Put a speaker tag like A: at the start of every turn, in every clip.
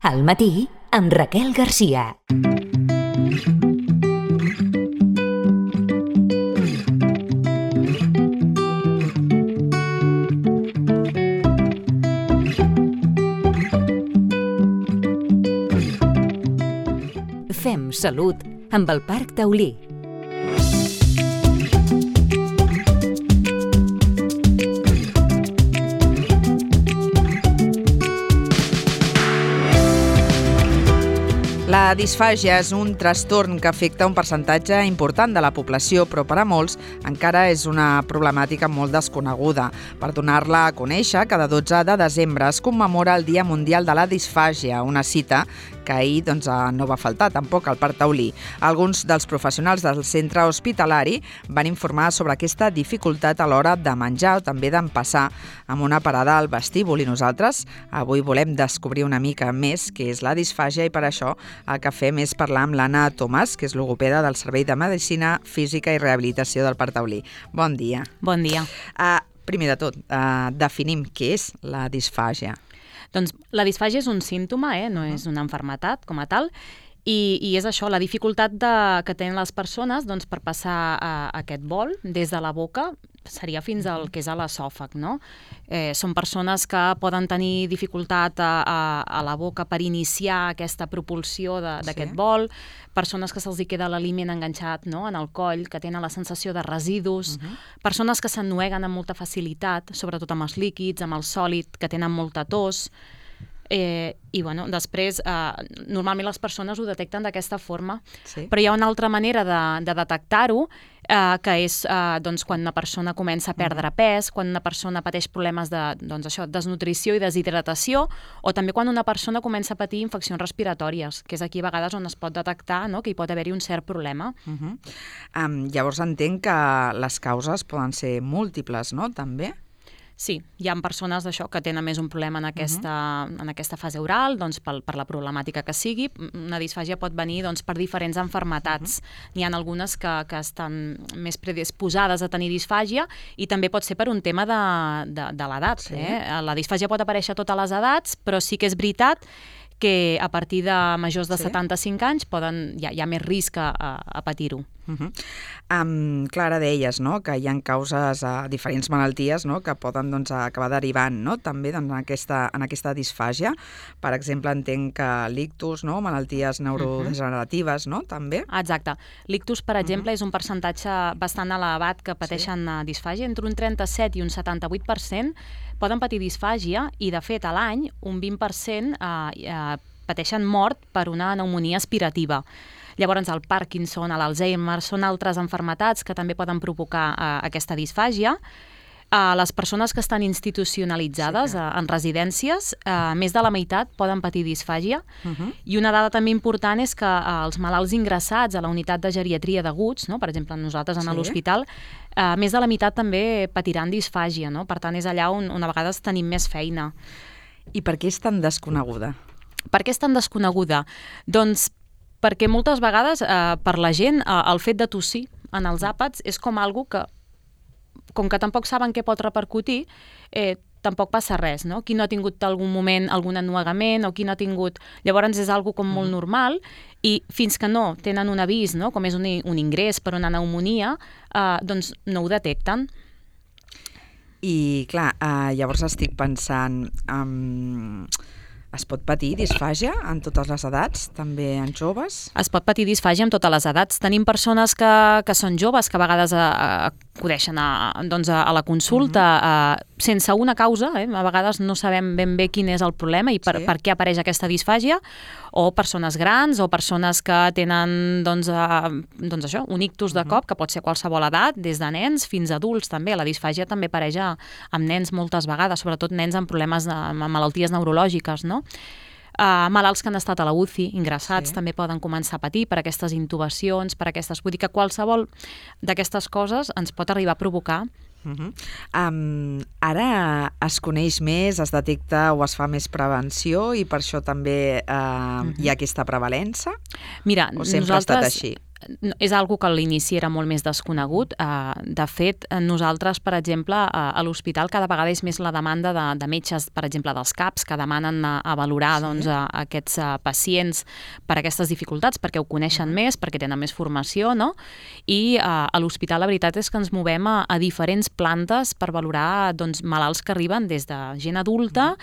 A: Al matí amb Raquel Garcia. Fem salut amb el Parc Taulí.
B: La disfàgia és un trastorn que afecta un percentatge important de la població, però per a molts encara és una problemàtica molt desconeguda. Per donar-la a conèixer, cada 12 de desembre es commemora el Dia Mundial de la Disfàgia, una cita que ahir no va faltar tampoc al Parc Taulí. Alguns dels professionals del centre hospitalari van informar sobre aquesta dificultat a l'hora de menjar o també d'empassar amb una parada al vestíbul, i nosaltres avui volem descobrir una mica més què és la disfàgia, i per això el que fem és parlar amb l'Anna Tomàs, que és logopeda del Servei de Medicina Física i Rehabilitació del Parc Taulí. Bon dia.
C: Bon dia.
B: Primer de tot, definim què és la disfàgia.
C: Doncs la disfàgia és un símptoma, no és una malaltia com a tal, i és això, la dificultat que tenen les persones per passar aquest bol des de la boca, seria fins al que és a l'esòfag, no? Són persones que poden tenir dificultat a la boca per iniciar aquesta propulsió d'aquest bol, persones que se'ls queda l'aliment enganxat en el coll, que tenen la sensació de residus, persones que s'ennueguen amb molta facilitat, sobretot amb els líquids, amb el sòlid, que tenen molta tos. I després normalment les persones ho detecten d'aquesta forma, però hi ha una altra manera de detectar-ho, que és quan una persona comença a perdre pes, quan una persona pateix problemes de desnutrició i deshidratació, o també quan una persona comença a patir infeccions respiratòries, que és aquí a vegades on es pot detectar que hi pot haver-hi un cert problema.
B: Llavors entenc que les causes poden ser múltiples, no? També?
C: Sí, hi ha persones que tenen més un problema en aquesta fase oral, per la problemàtica que sigui. Una disfàgia pot venir per diferents malalties. N'hi ha algunes que estan més predisposades a tenir disfàgia, i també pot ser per un tema de l'edat. La disfàgia pot aparèixer a totes les edats, però sí que és veritat que a partir de majors de 75 anys hi ha més risc a patir-ho.
B: Clara, deies que hi ha causes a diferents malalties que poden acabar derivant també en aquesta disfàgia. Per exemple, entenc que l'ictus, malalties neurodegeneratives, també?
C: Exacte. L'ictus, per exemple, és un percentatge bastant elevat que pateixen disfàgia. Entre un 37 i un 78% poden patir disfàgia, i de fet a l'any un 20% pateixen mort per una pneumònia aspirativa. Llavors el Parkinson, l'Alzheimer, són altres malalties que també poden provocar aquesta disfàgia. Les persones que estan institucionalitzades en residències, més de la meitat poden patir disfàgia. I una dada també important és que els malalts ingressats a la unitat de geriatria d'aguts, per exemple nosaltres a l'hospital, més de la meitat també patiran disfàgia. Per tant, és allà on a vegades tenim més feina.
B: I per què és tan desconeguda?
C: Per què és tan desconeguda? Doncs perquè moltes vegades per la gent el fet de tossir en els àpats és com algo que, com que tampoc saben què pot repercutir, tampoc passa res, no? Qui no ha tingut algun moment algun ennuegament, o qui no ha tingut... Llavors és algo com molt normal, i fins que no tenen un avís, com és un ingrés per una pneumònia, doncs no ho detecten.
B: I clar, llavors estic pensant... Es pot patir disfàgia en totes les edats, també en joves?
C: Es pot patir disfàgia en totes les edats. Tenim persones que són joves, que a vegades acudeixen a la consulta sense una causa, a vegades no sabem ben bé quin és el problema i per què apareix aquesta disfàgia, o persones grans, o persones que tenen un ictus de cop, que pot ser a qualsevol edat, des de nens fins a adults també. La disfàgia també apareix amb nens moltes vegades, sobretot nens amb problemes amb malalties neurològiques, no? Malalts que han estat a la UCI, ingressats, també poden començar a patir per aquestes intubacions, per aquestes... Vull dir que qualsevol d'aquestes coses ens pot arribar a provocar.
B: Ara es coneix més, es detecta o es fa més prevenció, i per això també hi ha aquesta prevalença?
C: Mira,
B: o sempre ha estat així?
C: és algo que a l'inici era molt més desconegut. De fet, nosaltres, per exemple, a l'hospital cada vegada és més la demanda de metges, per exemple, dels CAPs, que demanen a valorar aquests pacients per aquestes dificultats, perquè ho coneixen més, perquè tenen més formació, no? I a l'hospital la veritat és que ens movem a diferents plantes per valorar malalts que arriben des de gent adulta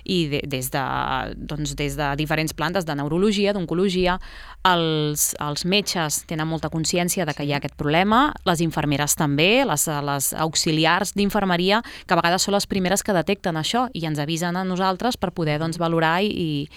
C: i des de diferents plantes de neurologia, d'oncologia. Els metges tenen molta consciència de que hi ha aquest problema, les infermeres també, les auxiliars d'infermeria, que a vegades són les primeres que detecten això i ens avisen a nosaltres per poder valorar i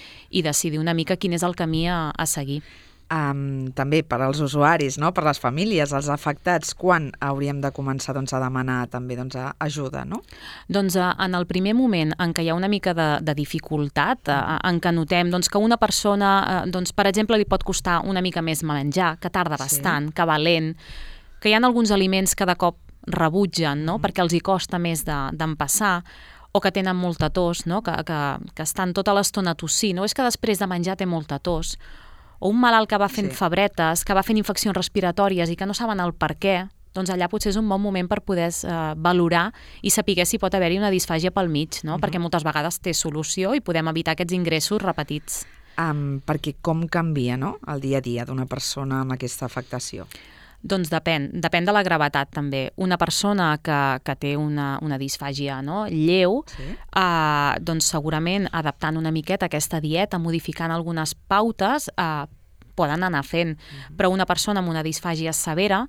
C: decidir una mica quin és el camí a seguir.
B: També per als usuaris, no? Per les famílies, els afectats, quan hauríem de començar a demanar també ajuda, no?
C: Doncs en el primer moment en què hi ha una mica de dificultat, en què notem que una persona, per exemple, li pot costar una mica més menjar, que tarda bastant, que va lent, que hi ha alguns aliments que de cop rebutgen, no? Perquè els hi costa més d'empassar, o que tenen molta tos, no? Que estan tota l'estona tossint, no? És que després de menjar té molta tos, o un malalt que va fent febretes, que va fent infeccions respiratòries i que no saben el per què, doncs allà potser és un bon moment per poder valorar i saber si pot haver-hi una disfàgia pel mig, no? Perquè moltes vegades té solució i podem evitar aquests ingressos repetits.
B: Perquè com canvia, no?, el dia a dia d'una persona amb aquesta afectació?
C: Doncs depèn de la gravetat també. Una persona que té una disfàgia, no?, lleu, doncs segurament adaptant una miqueta aquesta dieta, modificant algunes pautes, poden anar fent, però una persona amb una disfàgia severa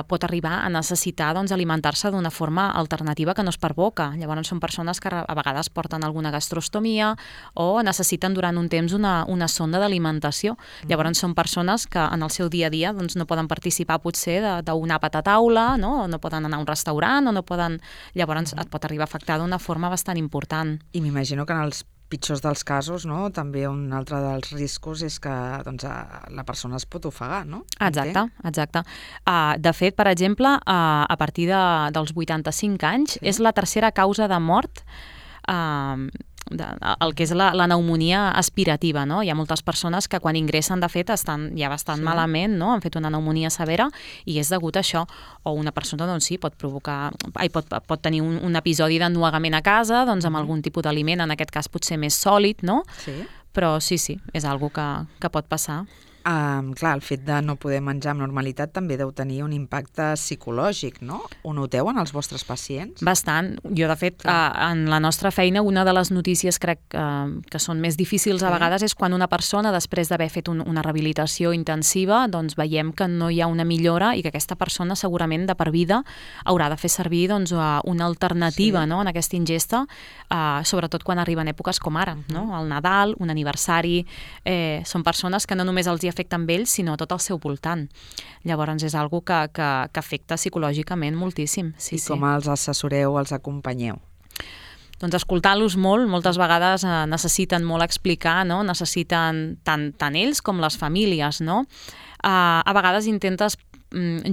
C: pot arribar a necessitar alimentar-se d'una forma alternativa que no és per boca. Llavors són persones que a vegades porten alguna gastrostomia o necessiten durant un temps una sonda d'alimentació. Llavors són persones que en el seu dia a dia no poden participar potser d'un àpat a taula, no poden anar a un restaurant o no poden... Llavors et pot arribar a afectar d'una forma bastant important.
B: I m'imagino que en els pitjors dels casos, no? També un altre dels riscos és que la persona es pot ofegar, no?
C: Exacte. De fet, per exemple, a partir dels 85 anys és la tercera causa de mort el que és la pneumònia aspirativa, no? Hi ha moltes persones que quan ingressen, de fet, estan ja bastant malament, no? Han fet una pneumònia severa i és degut a això. O una persona, pot tenir un episodi d'ennuegament a casa, amb algun tipus d'aliment, en aquest cas potser més sòlid, no?
B: Sí.
C: Però sí, és algo que pot passar.
B: Clar, el fet de no poder menjar amb normalitat també deu tenir un impacte psicològic, no? Ho noteu en els vostres pacients?
C: Bastant. Jo, de fet, en la nostra feina, una de les notícies crec que són més difícils a vegades és quan una persona, després d'haver fet una rehabilitació intensiva, doncs veiem que no hi ha una millora i que aquesta persona segurament de per vida haurà de fer servir una alternativa, no?, en aquesta ingesta, sobretot quan arriben èpoques com ara, no? El Nadal, un aniversari, són persones que no només els afecta amb ells, sinó tot el seu voltant. Llavors és algo que afecta psicològicament moltíssim.
B: I com els assessoreu, els acompanyeu?
C: Doncs escoltant-los molt, moltes vegades necessiten molt explicar, no? Necessiten tant ells com les famílies, no? A vegades intentes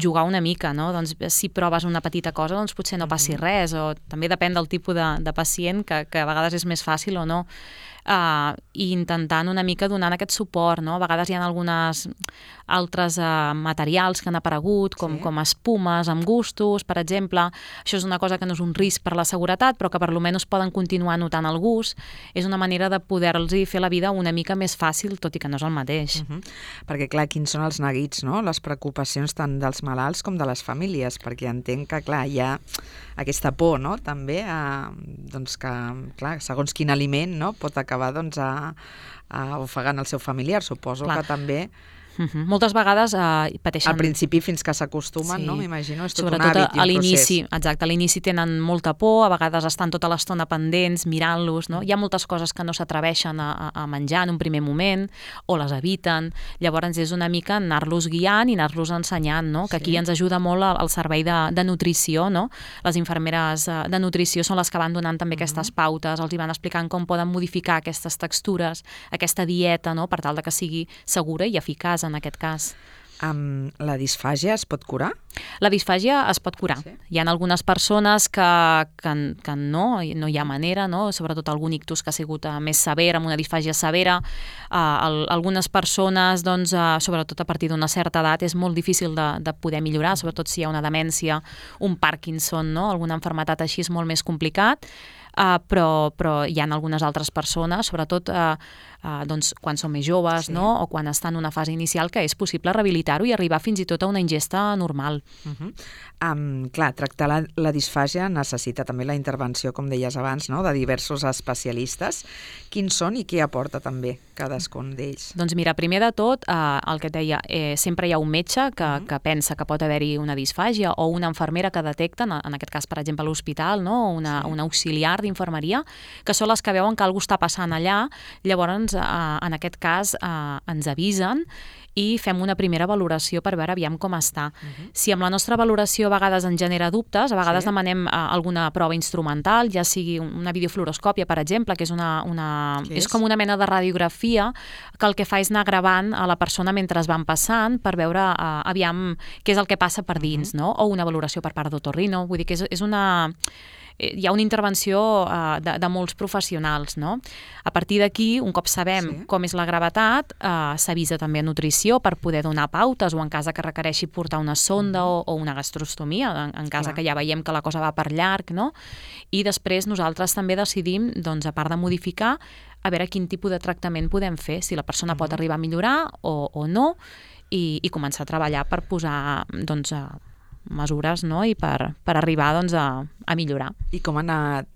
C: jugar una mica, no? Doncs si proves una petita cosa, doncs potser no passi res, o també depèn del tipus de pacient, que a vegades és més fàcil o no. I intentant una mica donant aquest suport, no? A vegades hi ha algunes altres materials que han aparegut, com espumes amb gustos, per exemple. Això és una cosa que no és un risc per la seguretat, però que per almenys poden continuar notant el gust. És una manera de poder-los fer la vida una mica més fàcil, tot i que no és el mateix.
B: Perquè, clar, quins són els neguits, no? Les preocupacions tant dels malalts com de les famílies, perquè entenc que, clar, hi ha aquesta por, no?, també, doncs que, clar, segons quin aliment, no?, pot acabar, doncs, ofegant el seu familiar. Suposo que també...
C: Moltes vegades pateixen...
B: Al principi fins que s'acostumen, no? M'imagino, és tot un hàbit i un procés.
C: Sobretot a l'inici, exacte, a l'inici tenen molta por, a vegades estan tota l'estona pendents, mirant-los, no? Hi ha moltes coses que no s'atreveixen a menjar en un primer moment, o les eviten. Llavors és una mica anar-los guiant i anar-los ensenyant, no? Que aquí ens ajuda molt el servei de nutrició, no? Les infermeres de nutrició són les que van donant també aquestes pautes, els hi van explicant com poden modificar aquestes textures, aquesta dieta, no?, per tal de que sigui segura i eficaç en aquest cas.
B: La disfàgia es pot curar?
C: La disfàgia es pot curar.
B: Sí.
C: Hi ha algunes persones que no hi ha manera, no? Sobretot algun ictus que ha sigut més sever, amb una disfàgia severa. Algunes persones, doncs, sobretot a partir d'una certa edat, és molt difícil de poder millorar, sobretot si hi ha una demència, un Parkinson, no? Alguna malaltia així és molt més complicat. Però hi ha algunes altres persones, sobretot doncs, quan són més joves, no? O quan estan en una fase inicial, que és possible rehabilitar-ho i arribar fins i tot a una ingesta normal.
B: Clar, tractar la disfàgia necessita també la intervenció, com deies abans, no? De diversos especialistes. Quins són i qui aporta també cadascun d'ells?
C: Doncs mira, primer de tot, el que et deia, sempre hi ha un metge que pensa que pot haver-hi una disfàgia, o una infermera que detecta, en aquest cas, per exemple, a l'hospital, no? Una auxiliar d'infermeria, que són les que veuen que alguna cosa està passant allà. Llavors, en aquest cas, ens avisen i fem una primera valoració per veure aviam com està. Si amb la nostra valoració a vegades ens genera dubtes, a vegades demanem alguna prova instrumental, ja sigui una videofluoroscòpia, per exemple, que és és com una mena de radiografia, que el que fa és anar gravant a la persona mentre es van passant per veure aviam què és el que passa per dins, no? O una valoració per part d'otorrino. Vull dir que és una... Hi ha una intervenció de molts professionals, no? A partir d'aquí, un cop sabem com és la gravetat, s'avisa també a nutrició per poder donar pautes, o en cas que requereixi portar una sonda o una gastrostomia, en cas que ja veiem que la cosa va per llarg, no? I després nosaltres també decidim, doncs, a part de modificar, a veure quin tipus de tractament podem fer, si la persona pot arribar a millorar o no, i començar a treballar per posar, doncs, mesures, no? I per arribar, doncs, a millorar.
B: I com ha anat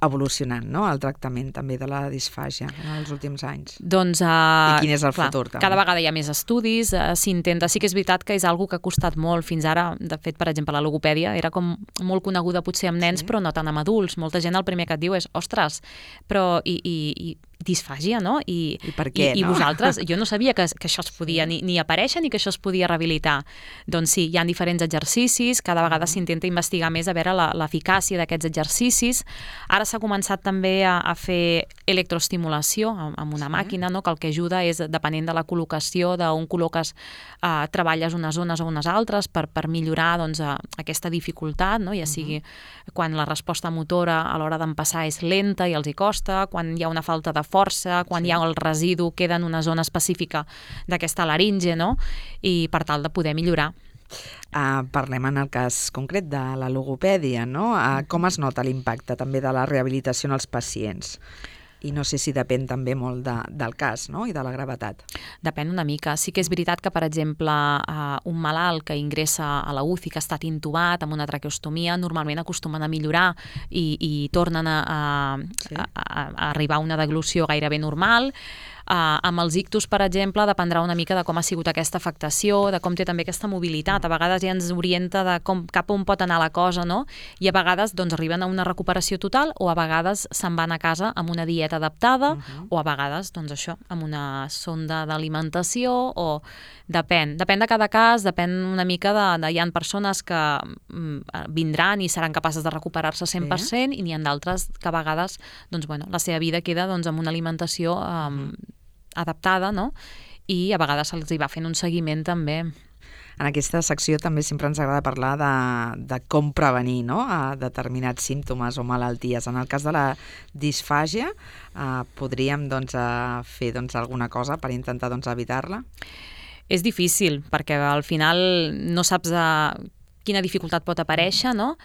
B: evolucionant, no? El tractament també de la disfàgia en els últims anys?
C: Doncs,
B: I quin és el futur, també?
C: Cada vegada hi ha més estudis, s'intenta. Sí que és veritat que és algo que ha costat molt fins ara. De fet, per exemple, la logopèdia era com molt coneguda potser amb nens, però no tant amb adults. Molta gent el primer que et diu és, ostres, però i disfàgia, no? I
B: per què,
C: no? I vosaltres, jo no sabia que això es podia ni aparèixer ni que això es podia rehabilitar. Doncs sí, hi ha diferents exercicis, cada vegada s'intenta investigar més a veure l'eficàcia d'aquests exercicis. Ara s'ha començat també a fer electroestimulació amb una màquina, no? Que el que ajuda és, depenent de la col·locació, d'on col·loques, treballes unes zones o unes altres per millorar, doncs, aquesta dificultat, no? Ja sigui quan la resposta motora a l'hora d'empassar és lenta i els hi costa, quan hi ha una falta de força, quan hi ha el residu, queda en una zona específica d'aquesta laringe, no? I per tal de poder millorar.
B: Parlem en el cas concret de la logopèdia, no? Com es nota l'impacte també de la rehabilitació en els pacients? I no sé si depèn també molt del cas, no? I de la gravetat.
C: Depèn una mica. Sí que és veritat que, per exemple, un malalt que ingressa a la UCI, que ha estat intubat amb una traqueostomia, normalment acostumen a millorar i tornen a arribar a una deglució gairebé normal. Amb els ictus, per exemple, dependrà una mica de com ha sigut aquesta afectació, de com té també aquesta mobilitat. A vegades ja ens orienta de cap on pot anar la cosa, no? I a vegades, doncs, arriben a una recuperació total, o a vegades se'n van a casa amb una dieta adaptada, o a vegades, doncs això, amb una sonda d'alimentació, o depèn de cada cas, depèn una mica de hi ha persones que vindran i seran capaces de recuperar-se 100%, i n'hi ha d'altres que a vegades, doncs, bueno, la seva vida queda, doncs, amb una alimentació adaptada, no? I a vegades se'ls hi va fent un seguiment també.
B: En aquesta secció també sempre ens agrada parlar de com prevenir, no? Determinats símptomes o malalties. En el cas de la disfàgia, podríem, doncs, fer, doncs, alguna cosa per intentar, doncs, evitar-la?
C: És difícil, perquè al final no saps quina dificultat pot aparèixer, no?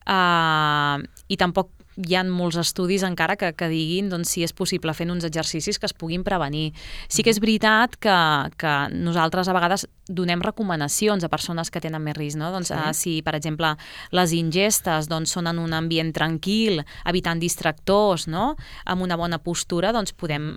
C: I tampoc hi ha molts estudis encara que diguin, doncs, si és possible fent uns exercicis que es puguin prevenir. Sí que és veritat que nosaltres a vegades donem recomanacions a persones que tenen més risc, no? Doncs, si, per exemple, les ingestes, doncs, són en un ambient tranquil, evitant distractors, no? Amb una bona postura, doncs podem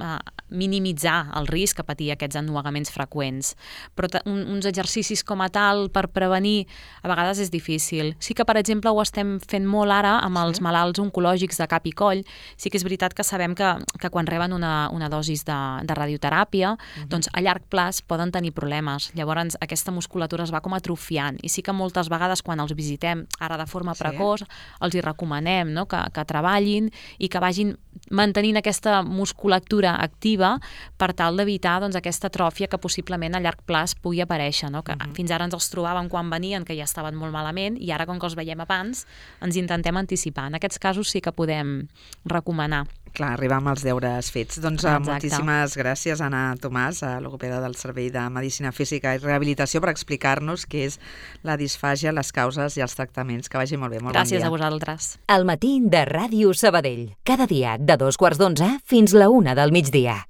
C: minimitzar el risc a patir aquests ennuegaments freqüents. Però uns exercicis com a tal per prevenir a vegades és difícil. Sí que, per exemple, ho estem fent molt ara amb els malalts oncològics de cap i coll. Sí que és veritat que sabem que quan reben una dosis de radioteràpia, doncs a llarg plaç poden tenir problemes. Llavors aquesta musculatura es va com atrofiant, i sí que moltes vegades quan els visitem ara de forma precoç els hi recomanem, no? que treballin i que vagin mantenint aquesta musculatura activa progressiva per tal d'evitar doncs, aquesta atròfia que possiblement a llarg plaç pugui aparèixer, no? Que fins ara ens els trobàvem quan venien, que ja estaven molt malament, i ara, com que els veiem abans, ens intentem anticipar. En aquests casos sí que podem recomanar.
B: Clar, arribar amb els deures fets. Doncs moltíssimes gràcies, Anna Tomàs, logopeda del Servei de Medicina Física i Rehabilitació, per explicar-nos què és la disfàgia, les causes i els tractaments. Que vagi molt bé, molt bon dia.
C: Gràcies a vosaltres.
A: Al matí de Ràdio Sabadell. Cada dia de 2:15 fins la 1 del migdia.